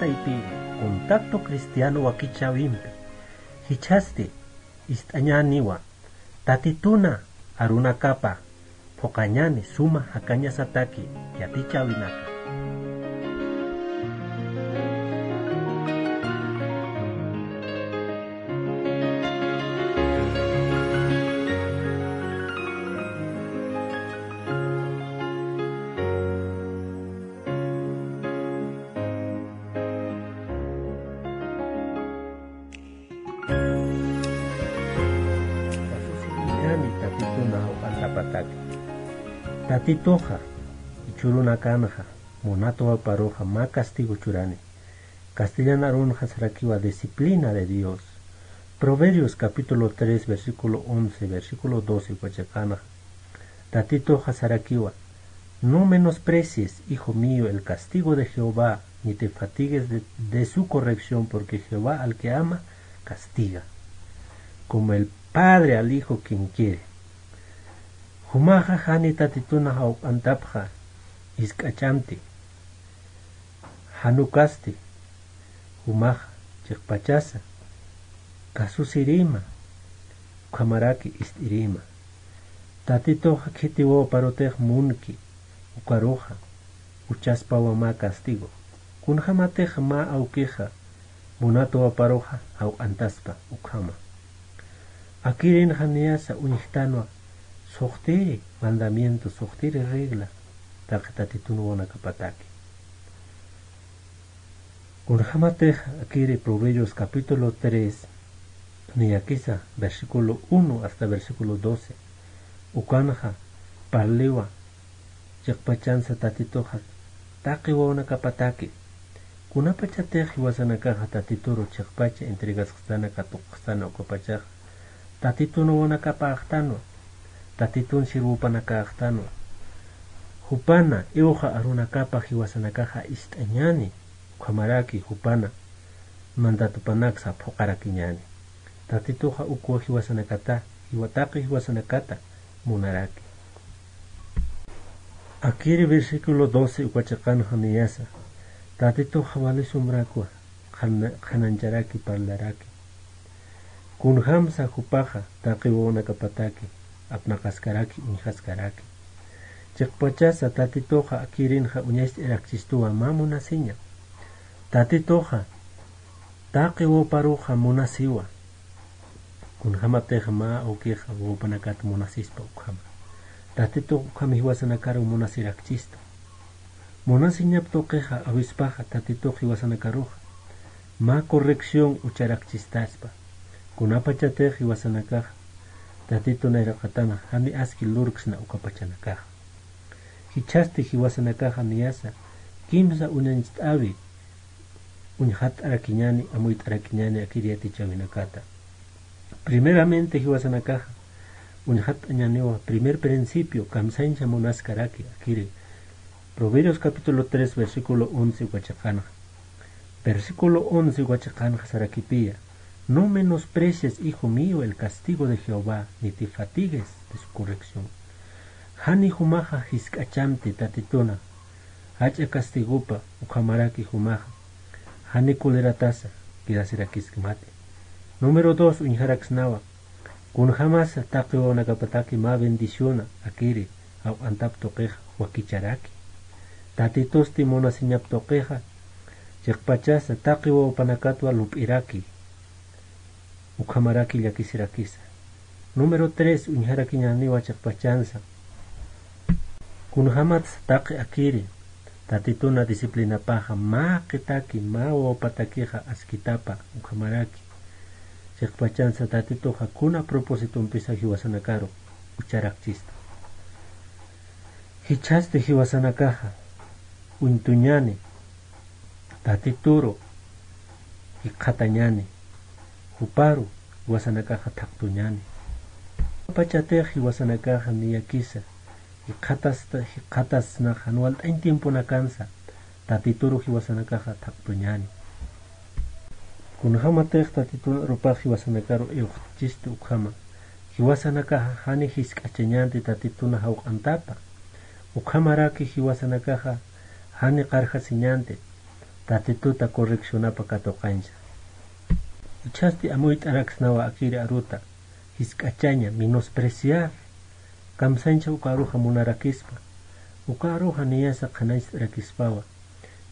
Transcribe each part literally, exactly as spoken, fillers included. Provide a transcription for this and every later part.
Taypiri, contacto cristiano wakichäwimpi jichhasti ist'añäniwa, Tatituna arunakapa phuqañäni suma jakañasataki yatichäwinaka. Kasusiñäni Tatituna jawq'antapataki. Tatituxa, jichhürunakanxa, munat wawaparuxa mä castigo churani. Castellan arunxa sarakiwa disciplina de Dios. Proverbios capítulo tres, versículo once, versículo doce uka chiqanxa. Tatituxa sarakiwa: "No menosprecies, hijo mío, el castigo de Jehová, ni te fatigues de, de su corrección, porque Jehová al que ama, castiga, como el padre al hijo quien quiere". Jumaxa jani Tatituna jawq'antapxa jisk'achämti. Jan ukasti, jumaxa chiqpachasa kasusirïma, ukhamaraki ist'irïma. Tatituxa khiti wawaparutix munki, ukaruxa juchaspawa mä castigo. Kunjämatix mä awkixa munat wawaparuxa jawq'antaspa ukhama. Akirinxa niyasa uñjtanwa suxtiri mandamiento, suxtiri regla, taqi Tatitun wawanakapataki. Kunjämatix akiri Proverbios capítulo tres, niyakisa versículo uno hasta versículo doce, ukanxa parliwa chiqpachansa Tatituxa taqi wawanakapataki. Kunapachatix jiwasanakaxa Tatituru chiqpacha entregasxtana, katuqxtana ukapachaxa, Tatitun wawanakapäxtanwa, Tatitun sirwupanakäxtanwa. Jupana iwxa arunakapa jiwasanakaxa ist'añäni, ukhamaraki jupana mandatupanaksa phuqarakiñäni. Tatituxa ukwa jiwasanakata, jiwa taqi jiwasanakata munaraki. Akiri versículo doce uka chiqanxa niyasa, Tatituxa wali sumrakwa, qhana-, qhanañcharaki parlaraki. Kunjamsa jupaxa taqi wawanakapataki apnaqaskaraki, uñjaskaraki. Chiqpachasa Tatituxa akirinxa uñacht'irakchistuwa mä munasiña. Tatituxa taqi wawaparuxa munasiwa. Kunjämatix mä awkixa wawapanakat munasispa ukhama, Tatitux ukham jiwasanakaru munasirakchista. Munasiñap tuqixa awispaxa Tatitux jiwasanakaruxa mä corrección ucharakchistaspa. Kunapachatix jiwasanakaxa Tatitun nayraqatanxa jani aski lurksna ukapachanakaxa. Jichhasti jiwasanakaxa niyasa kimsa uñañcht'äwi uñjatt'arakiñäni, amuyt'arakiñäni akir yatichäwinakata. Primeramente jiwasanakaxa uñjatt'añäniwa primer principio, kamsañsa munaskaraki akiri. Proverbios capítulo tres, versículo once uka chiqanxa. Versículo once uka chiqanxa sarakipiya: "No menosprecies, hijo mío, el castigo de Jehová, ni te fatigues de su corrección". Jani jumaxa jisk'achamti Tatituna jach'a castigopa, ukhamaraki jumaxa jani coleratasa quedasirakiskmati. Número dos, uñjaraksnawa: Kunjämasa taqi wawanakapataki mä bendiciona akiri jawq'antap tuqixa wakicharaki. Tatitusti munasiñap tuqixa chiqpachasa taqi wawapanakatwa lup'iraki. Ukhamaraki llakisirakisa. Número tres, uñjarakiñäniwa chiqpachansa. Kunjämatsa taqi akiri Tatituna disciplinapaxa mä qitaki, mä wawapatakixa askitapa, ukhamaraki chiqpachansa Tatituxa kuna propositompisa jiwasanakaru ucharakchista. Jichhasti jiwasanakaxa uñtuñäni, Tatituru jikxatañäni, juparu jiwasanakaxa thaqtuñäni. Pachatix jiwasanakaxa niyakisa jikxatasta, jikxatasnaxa jan walt'añ tiemponakansa Tatituru jiwasanakaxa thaqtuñäni. Kunjämatix Tatitun arupax jiwasanakaru iwxtchistu ukhama, jiwasanakaxa jani jisk'achañänti Tatituna jawq'antapa. Ukhamaraki jiwasanakaxa jani qarjasiñänti. Tatituta correccionapa katuqancha. Jichhasti amuyt'araksnawa akiri aruta, jisk'achaña, menospreciar, kamsañcha uka aruxa munarakispa, uka aruxa niyasa qhanañcht'arakispawa,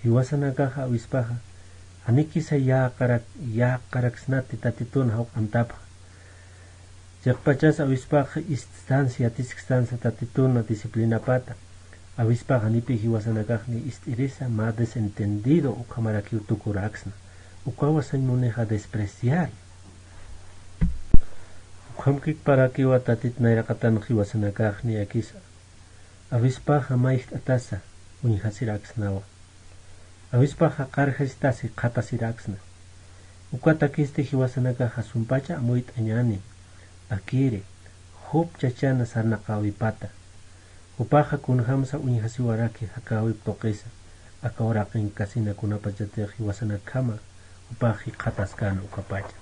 jiwasanakaxa awispaxa, janikisa yäqarak-, yäqaraksnati Tatitun jawq'antapxa. Chiqpachas awispaxa ist'sansa, yatiskstansa Tatituna disciplinapata. Awispaxa nipi jiwasanakaxni ist'irisa, mä desentendido ukhamarakiw tukuraksna. Ukawa sañ munixa despreciar. Ukhamkiparakiwa Tatit nayraqatan jiwasanakaxni akisa. Awispaxa mayjt'atasa uñjasiraksnawa. Awispaxa qarjastasi qhatasiraksna. Ukatakisti jiwasanakaxa sumpacha amuyt'añäni, akiri, Job chachana sarnaqäwipata. Jupaxa kunjamsa uñjasiwaraki jakäwip tuqisa, aka uraqinkasinakkunapachatix jiwasanakjama, jupax jikxataskäna ukapacha.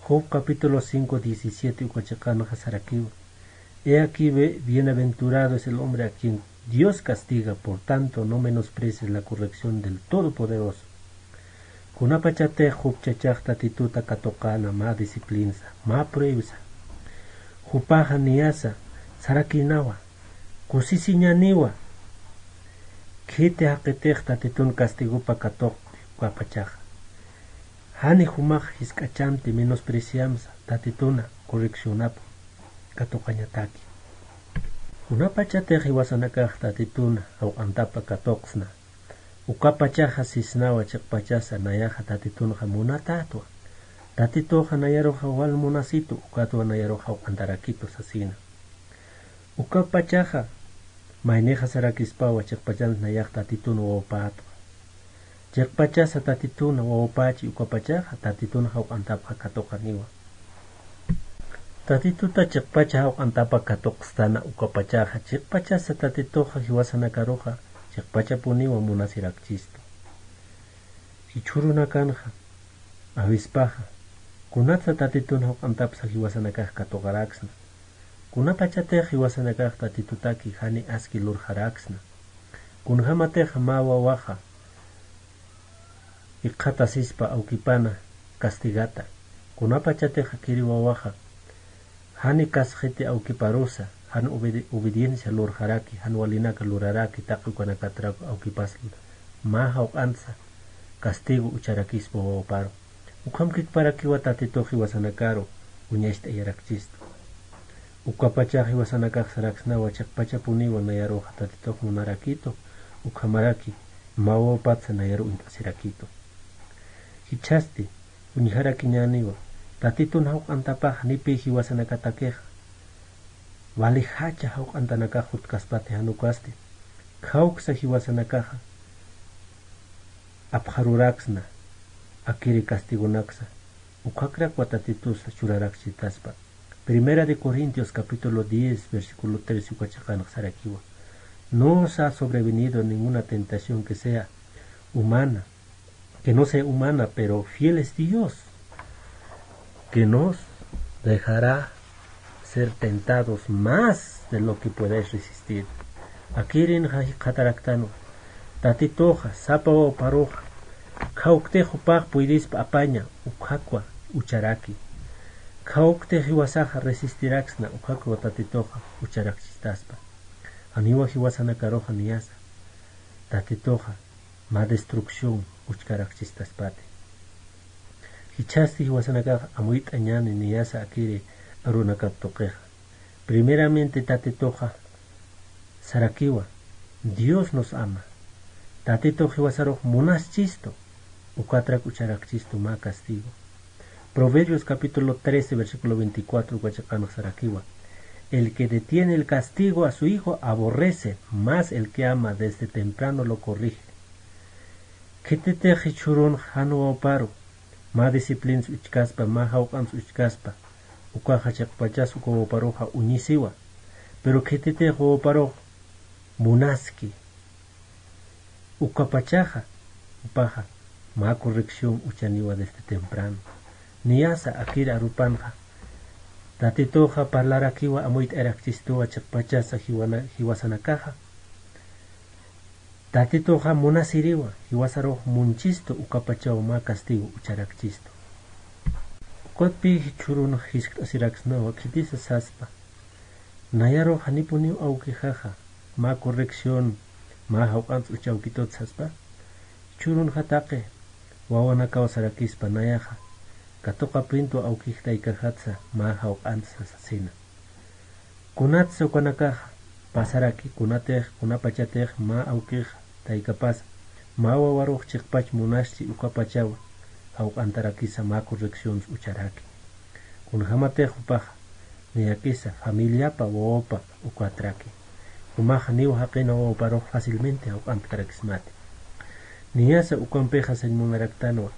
Job capítulo cinco diecisiete uka chiqanxa sarakiwa. He aquí, ve, bienaventurado es el hombre a quien Dios castiga, por tanto, no menosprecies la corrección del Todopoderoso. Kunapachatix Job chachax Tatituta katuqäna mä disciplinsa, mä pruebsa. Jupaxa niyasa, sarakïnawa, kusisiñäniwa. Khiti jaqitix Tatitun castigopa katuqti ukapachaxa. Jani jumax jisk'achamti menospreciamsa Tatituna correccionapa katuqañataki. Kunapachatix jiwasanakax Tatituna jawq'antapa katuqsna. Ukapachaxa sisnawa chiqpachasa nayaxa Tatitunxa munatätwa. Tatituxa nayaruxa wal munasitu, ukatwa nayarux jawq'antarakitu sasina. Ukapachaxa maynixa sarakispawa chiqpachansa nayax Tatitun wawpätwa. Chiqpachasa Tatituna wawpächi ukapachaxa Tatitun jawq'antapxa katuqaniwa. Tatituta chiqpacha jawq'antapa katuqstana ukapachaxa chiqpachasa Tatituxa jiwasanakaruxa chiqpachapuniwa munasirakchistu. Jichhürunakanxa awispaxa kunatsa Tatitun jawq'antapsa jiwasanakax katuqaraksna. Kunapachatix jiwasanakax Tatitutaki jani aski lurxaraksna. Kunjamatix mä wawaxa jikxatasispa awkipana castigata. Kunapachatix akiri wawaxa jani kasxiti awkiparusa, jan obedi-, obediencia lurxaraki, jan walinaka luraraki, taqi ukanakatrak awkipas mä jawq'antsa castigo ucharakispa wawaparu. Ukhamkiparakiwa Tatitux jiwasanakaru uñacht'ayarakchistu. Ukapachax jiwasanakax saraksnawa chiqpachapuniwa nayaruxa Tatitux munarakitu, ukhamaraki mä wawapatsa nayaru uñt'asirakitu. Jichhasti uñjarakiñäniwa, Tatitun jawq'antapax nipi jiwasanakatakixa, wali jacha jawq'antanakax jutkaspati jan ukasti, khawksa jiwasanakaxa apxaruraksna, akiri castigonaksa, ukhakrakwa Tatitusa churarakchitaspa. Primera de Corintios capítulo diez, versículo trece uka chiqanx sarakiwa. No os ha sobrevenido ninguna tentación que sea humana, que no sea humana, pero fiel es Dios, que nos dejará ser tentados más de lo que podáis resistir. Akirinxa jikxataraktanwa, Tatituxa, sapa wawparuxa, khawktix jupax puydispa apaña, ukhakwa ucharaki. Khawktix jiwasaxa resistiraksna, ukhakwa Tatituxa ucharakchistaspa. Janiwa jiwasanakaruxa niyasa, Tatituxa mä destrucción uchkarakchistaspati. Jichhasti jiwasanakax amuyt'añäni niyasa akiri arunakap tuqixa. Primeramente Tatituxa sarakiwa, Dios nos ama. Tatitux jiwasarux munaschistu, ukatrak ucharakchistu mä castigo. Proverbios capítulo trece, versículo veinticuatro uka chiqanx sarakiwa. El que detiene el castigo a su hijo aborrece, mas el que ama desde temprano lo corrige. Khititix jichhürunx jan wawparu mä disciplins uchkaspa, mä jawq'ans uchkaspa, ukaxa chiqpachas uka wawparuxa uñisiwa. Pero khititix wawparux munaski, ukapachaxa, jupaxa mä corrección uchaniwa desde temprano. Niyasa akir arupanxa, Tatituxa parlarakiwa amuyt'ayarakchistuwa chiqpachasa jiwana-, jiwasanakaxa. Tatituxa munasiriwa, jiwasarux munchistu ukapachaw mä castigo ucharakchistu. Ukatpï jichhürunx jiskt'asiraksnawa khitisa saspa. Nayarux janipuniw awkixaxa, mä corrección, mä jawq'ants uchawkitut saspa. Jichhürunxa taqi wawanakaw sarakispa nayaxa, katuqapintu awkix taykaxatsa mä jawq'antsa sasina. Kunatsa ukanakaxa pasaraki, kunatix, kunapachatix mä awkix taykapasa, mä wawarux chiqpach munaschi ukapachawa, jawq'antarakisa mä correccions ucharaki. Kunjamatix jupaxa, niyakisa familiapa wawapa ukatraki. Jumaxa niw jaqina wawaparux fácilmente jawq'antkarakismati. Niyasa ukampixa sañ munaraktanwa.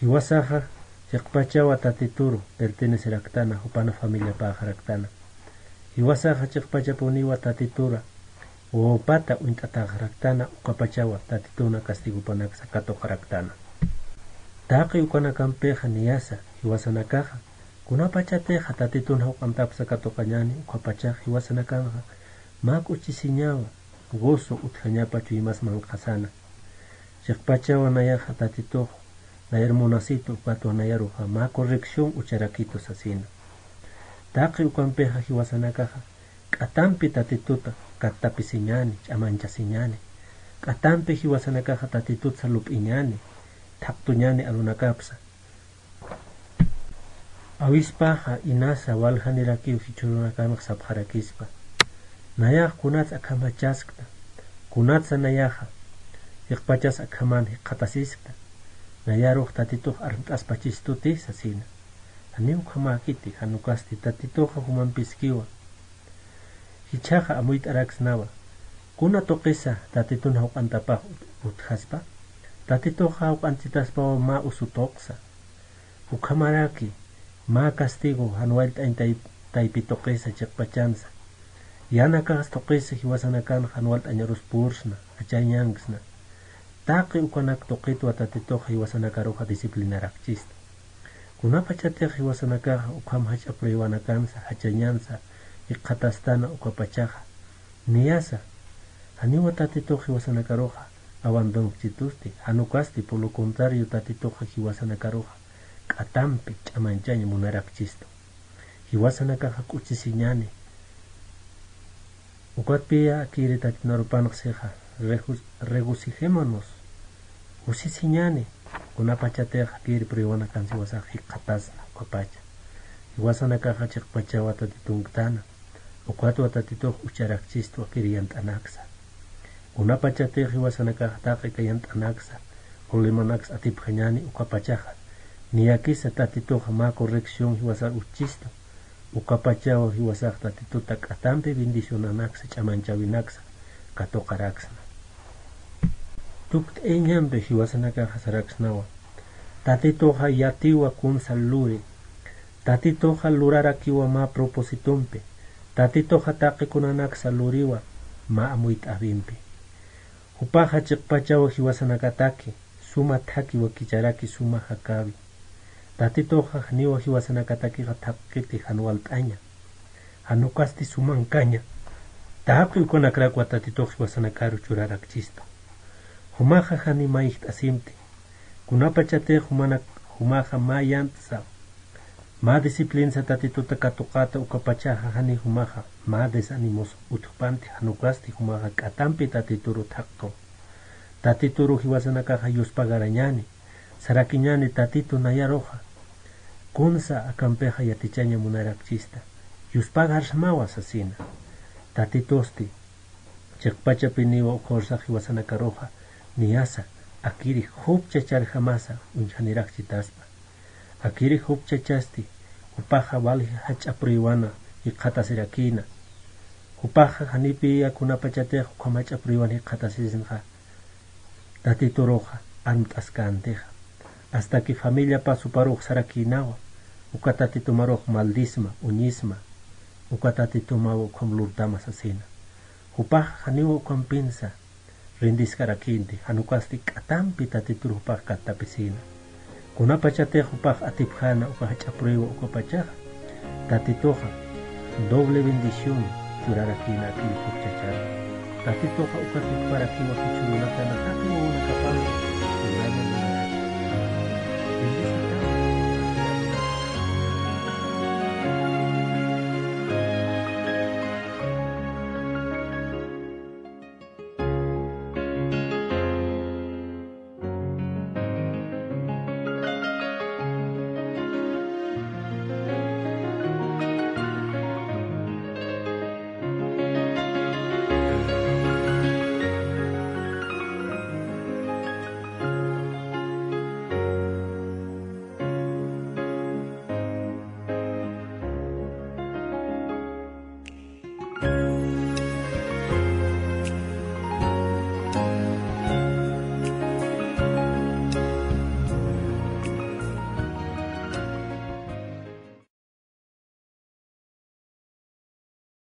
Jiwasaxa chiqpachawa tatituru perteneceraktana, jupana familiapaxaraktana. Jiwasaxa chiqpachapuniwa tatitura wawapata uñt'ataxaraktana, ukapachawa tatituna castigopanaksa katuqaraktana. Taqi ukanakampixa niyasa jiwasanakaxa, kunapachatixa tatitun jawq'antapsa katuqañani, ukapachax jiwasanakanxa mä k'uchisiñawa, gozo utjañapa chuymas manqhasana. Chiqpachawa nayaxa tatitux, nayar munasitu ukatwa nayaruxa mä corrección ucharakitu sasina. Taqi ukampixa jiwasanakaxa k'atampi tatituta kattapisiñani, ch'amanchasiñani. K'atampi jiwasanakaxa tatitutsa lup'iñani, thaqtuñani arunakapsa. Awispaxa inasa waljanirakiw jichhürunakanx sapxarakispa. Nayax kunats akhamachaskta, kunatsa nayaxa, chiqpachas akhaman jikxatasiskta, nayarux tatitux armt'aspachistuti sasina. Janiw ukhamäkiti, jan ukasti tatituxa jumampiskiwa. Jichhaxa amuyt'araksnawa, kuna tuqisa tatitun jawq'antapax ut-, utjaspa, tatituxa jawq'anchitaspawa mä usu tuqsa. Ukhamaraki, mä castigo jan wallt'añ tay-, taypi tuqisa chiqpachansa. Yanakax tuqisa jiwasanakan jan wallt'añarus pursna, jachañanksna. Taqi ukanak tuqitwa tatitux jiwasanakaruxa disciplinarakchista. Kunapachatix jiwasanakaxa ukham jach'a pruebanakansa, jachañansa, jikxatastana ukapachaxa. Niyasa, janiwa tatitux jiwasanakaruxa abandonkchitusti, jan ukasti por lo contrario tatituxa jiwasanakaruxa k'atampi ch'amañchañ munarakchistu. Jiwasanakaxa k'uchisiñani. Ukatpiya akiri tatitun arupanx sixa, regu-, regocijémonos. Kusisiñani, kunapachatix akiri pruebanakan jiwasax jikxatasna ukapacha. Jiwasanakaxa chiqpachawa tatitunktana. Ukatwa tatitux ucharakchistu akiri yant'anaksa. Kunapachatix jiwasanakaxa taqi aka yant'anaksa, problemanaksa atipxañani ukapachaxa. Niyakisa tatituxa mä corrección jiwasar utjistu. Ukapachawa jiwasax tatituta k'atampi bendicionanaksa, ch'amañchawinaksa katuqaraksna. Tukt'ayañampi jiwasanakaxa saraksnawa. Tatituxa yatiwa kunsa luri. Tatituxa lurarakiwa mä propósitompi. Tatituxa taqi kunanaksa luriwa mä amuyt'äwimpi. Jupaxa chiqpachawa jiwasanakataki, suma thaki wakicharaki suma jakäwi. Tatituxa janiwa jiwasanakatakixa thaqkiti jan walt'aña. Jan ukasti sumankaña. Taqi ukanakrakwa tatitux jiwasanakaru churarakchista. Jumaxa jani mayjt'asimti. Kunapachatix jumanak-, jumaxa mä yant'sa, mä disciplinsa tatituta katuqata ukapachaxa jani jumaxa mä desanimos utjpanti, jan ukasti jumaxa k'atampi tatituru thaqtu. Tatituru jiwasanakaxa yuspagarañani, sarakiñani tatitu nayaruxa. Kunsa akampixa yatichaña munarakchista. Yuspagarsmawa sasina. Tatitusti. Chiqpachapiniwa ukhursax jiwasanakaruxa niyasa akiri jupchacharjamasa uñjanirakchitaspa. Akiri jupchachasti, jupaxa wali jach'a pruebana jikxatasirakïna. Jupaxa janipiya kunapachatix ukham jach'a pruebana jikxatasisnxa. Tatituruxa armt'askäntixa. Hasta que familiapa suparux sarakïnawa, uka tatitumarux maldisma, uñisma, uka tatitumawa ukham lurtama sasina. Jupaxa janiwa ukhampinsa rindiskarakïnti, jan ukasti k'atampi tatituru jupax kattapisïna. Kunapachatix jupax atipjäna uka jach'a prueba ukapachaxa, tatituxa doble bendición churarakïna akiri jupchachar. Tatituxa uka tukparakiwa jichhürunakana taqi wawanakapampi